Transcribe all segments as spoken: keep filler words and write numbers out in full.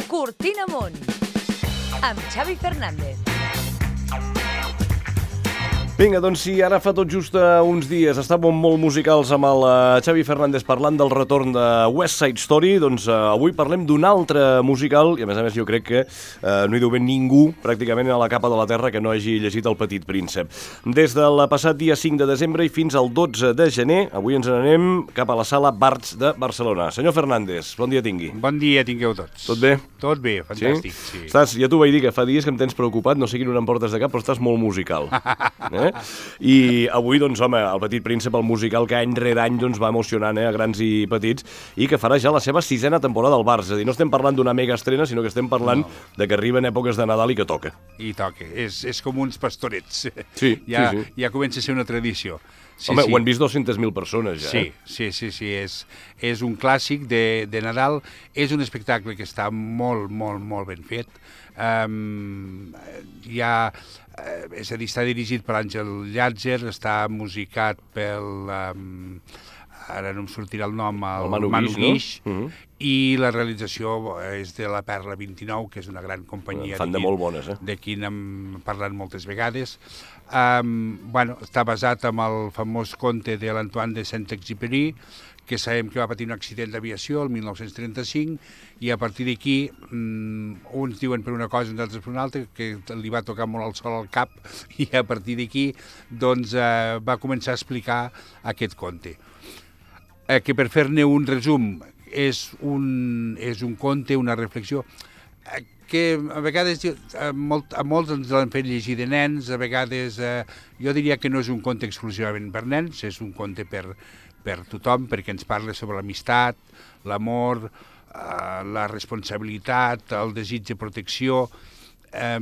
Cortina Amunt, amb Xavi Fernández. Vinga, doncs sí, ara fa tot just uh, uns dies estàvem molt musicals amb el uh, Xavi Fernández parlant del retorn de West Side Story, doncs uh, avui parlem d'un altre musical i a més a més jo crec que uh, no hi deu haver ningú pràcticament a la capa de la terra que no hagi llegit El Petit Príncep. Des del passat dia cinc de desembre i fins al dotze de gener, avui ens n'anem cap a la sala Barts de Barcelona. Senyor Fernández, bon dia tingui. Bon dia tingueu tots. Tot bé? Tot bé, fantàstic. Sí? Sí. Estàs, ja t'ho vaig dir que fa dies que em tens preocupat, no sé quin no em portes de cap, però estàs molt musical. Eh? I avui, doncs, home, El Petit Príncep, el musical que any rere any doncs, va emocionant eh, a grans i petits i que farà ja la seva sisena temporada al Barça. És a dir, no estem parlant d'una mega estrena, sinó que estem parlant no. de que arriben èpoques de Nadal i que toca. I toca. És, és com uns pastorets. Sí, ja, sí, sí. Ja comença a ser una tradició. Sí, home, sí. ho han vist dues-centes mil persones ja. Sí, eh? sí, sí, sí. És, és un clàssic de, de Nadal. És un espectacle que està molt, molt, molt ben fet. Um, hi ha... Eh, és a dir, està dirigit per Àngel Llàtzer, està musicat pel... Um, ara no em sortirà el nom, el, el Manu, Manu Guix, Guix, no? uh-huh. I la realització és de la Perla vint-i-nou, que és una gran companyia. Fan de molt bones, eh? De qui n'hem parlat moltes vegades. Um, bueno, està basat en el famós conte de l'Antoine de Saint-Exupéry, que sabem que va patir un accident d'aviació el mil nou-cents trenta-cinc, i a partir d'aquí, um, uns diuen per una cosa, uns altres per una altra, que li va tocar molt el sol al cap, i a partir d'aquí doncs, uh, va començar a explicar aquest conte. Eh, que per fer-ne un resum, és un, és un conte, una reflexió, eh, que a vegades a, molt, a molts ens l'han fet llegir de nens, a vegades eh, jo diria que no és un conte exclusivament per nens, és un conte per, per tothom, perquè ens parla sobre l'amistat, l'amor, eh, la responsabilitat, el desig de protecció. Eh,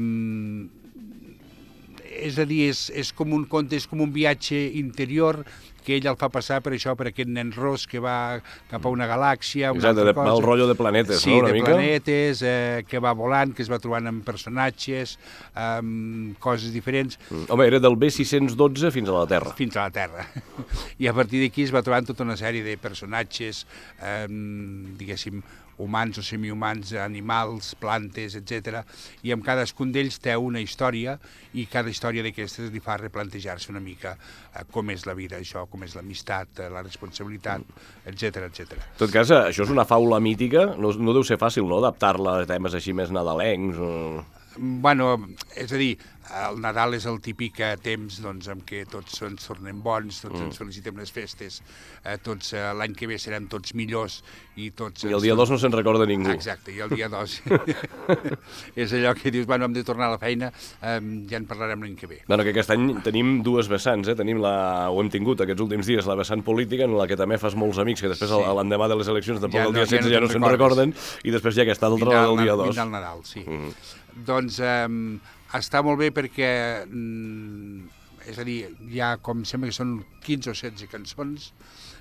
és a dir, és, és com un conte, és com un viatge interior que ell el fa passar per això, per aquest nen ros que va cap a una galàxia, una Exacte, altra de, cosa. el rotllo de planetes, sí, no? Una de mica? planetes, eh, que va volant, que es va trobant amb personatges, amb coses diferents. Mm. Home, era del B sis cents dotze fins a la Terra. Fins a la Terra. I a partir d'aquí es va trobant tota una sèrie de personatges, eh, diguéssim, humans o semihumans, animals, plantes, etcètera. I amb cadascun d'ells té una història i cada història d'aquestes li fa replantejar-se una mica eh, com és la vida, això, com és l'amistat, eh, la responsabilitat, etcètera, etcètera. En tot cas, això és una faula mítica, no, no deu ser fàcil, no?, adaptar-la a temes així més nadalencs o... Bueno, és a dir, el Nadal és el típic temps doncs, en què tots ens tornem bons, tots mm. ens felicitem les festes, eh, tots eh, l'any que ve serem tots millors i tots... I el dia dos no se'n recorda ningú. Exacte, i el dia dos és allò que dius, bueno, hem de tornar a la feina, eh, ja en parlarem l'any que ve. Bueno, que aquest any tenim dues vessants, eh? Tenim la, ho hem tingut aquests últims dies, la vessant política, en la que també fas molts amics, que després sí. l'endemà de les eleccions, tampoc ja el dia no, setze ja no, ja no se'n recorden, i després ja aquesta altra, la del dia dos. Vindrà el Nadal, sí. Mm. Doncs eh, està molt bé perquè, mm, és a dir, hi ha, com sembla que són quinze o setze cançons,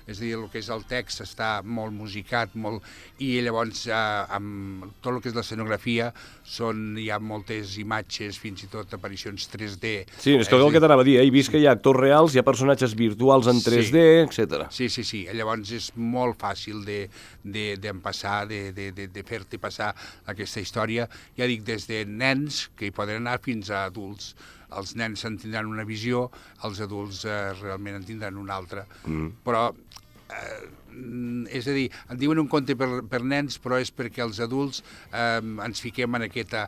és a dir, el que és el text està molt musicat, molt... i llavors eh, amb tot el que és l'escenografia són, hi ha moltes imatges, fins i tot aparicions tres D. Sí, és que el que t'anava a dir, eh? He vist que hi ha actors reals, hi ha personatges virtuals en tres D, sí. etcètera. Sí, sí, sí, llavors és molt fàcil de, de, d'empassar, de, de, de, de fer-te passar aquesta història, ja dic, des de nens, que hi poden anar, fins a adults. Els nens en tindran una visió, els adults eh, realment en tindran una altra. Mm. Però, eh, és a dir, en diuen un conte per, per nens, però és perquè els adults eh, ens fiquem en aquesta,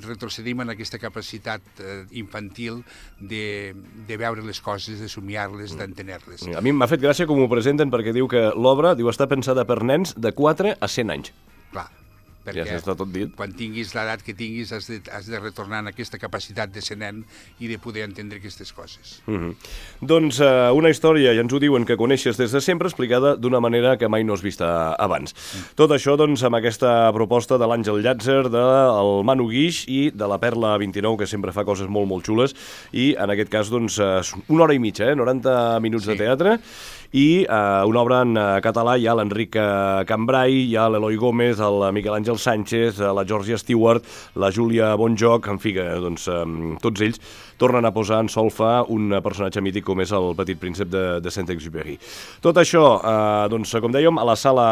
retrocedim en aquesta capacitat eh, infantil de, de veure les coses, de somiar-les, mm. d'entener-les. A mi m'ha fet gràcia com ho presenten, perquè diu que l'obra diu està pensada per nens de quatre a cent anys. Clar. Perquè ja està tot dit. Quan tinguis l'edat que tinguis has de, has de retornar en aquesta capacitat de ser nen i de poder entendre aquestes coses. Mm-hmm. Doncs uh, una història, ja ens ho diuen, que coneixes des de sempre, explicada d'una manera que mai no has vist abans. Mm. Tot això doncs amb aquesta proposta de l'Àngel Llàtzer, del Manu Guix i de la Perla vint-i-nou, que sempre fa coses molt, molt xules, i en aquest cas doncs una hora i mitja, eh? noranta minuts sí. de teatre, i eh, una obra en eh, català hi ha l'Enric eh, Cambrai, hi ha l'Eloi Gómez, el Miquel Àngel Sánchez, eh, la Georgia Stewart, la Júlia Bonjoc, en fi, que doncs, eh, tots ells tornen a posar en solfa un personatge mític com és el Petit Príncep de, de Saint-Exupéry. Tot això, eh, doncs, com dèiem, a la sala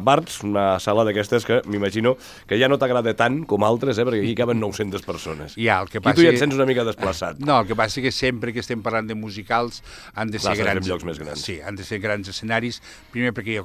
Barts, una sala d'aquestes que m'imagino que ja no t'agrada tant com altres, eh, perquè aquí caben nou-centes persones. Ja, el que passa... I tu ja et sents una mica desplaçat. No, el que passa és que sempre que estem parlant de musicals han de ser Clar, grans... llocs més grans. Sí, han de ser grans escenaris, primer perquè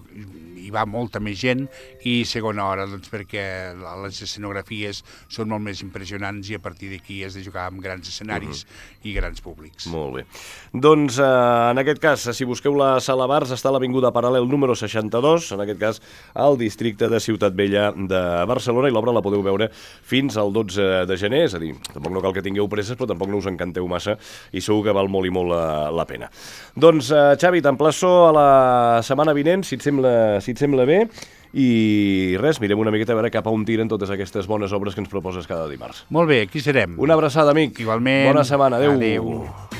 hi va molta més gent i segona hora, doncs perquè les escenografies són molt més impressionants i a partir d'aquí has de jugar amb grans escenaris uh-huh. i grans públics. Molt bé. Doncs eh, en aquest cas, si busqueu la sala Bars, està a l'Avinguda Paral·lel número seixanta-dos, en aquest cas al districte de Ciutat Vella de Barcelona, i l'obra la podeu veure fins al dotze de gener, és a dir, tampoc no cal que tingueu presses, però tampoc no us encanteu massa i segur que val molt i molt la, la pena. Doncs, eh, Xavi, t'emplaço a la setmana vinent, si et sembla, si et sembla bé, i res, mirem una miqueta a veure cap a on tiren totes aquestes bones obres que ens proposes cada dimarts. Molt bé, aquí serem. Una abraçada, amic. Igualment. Bona setmana. Adéu. Adéu.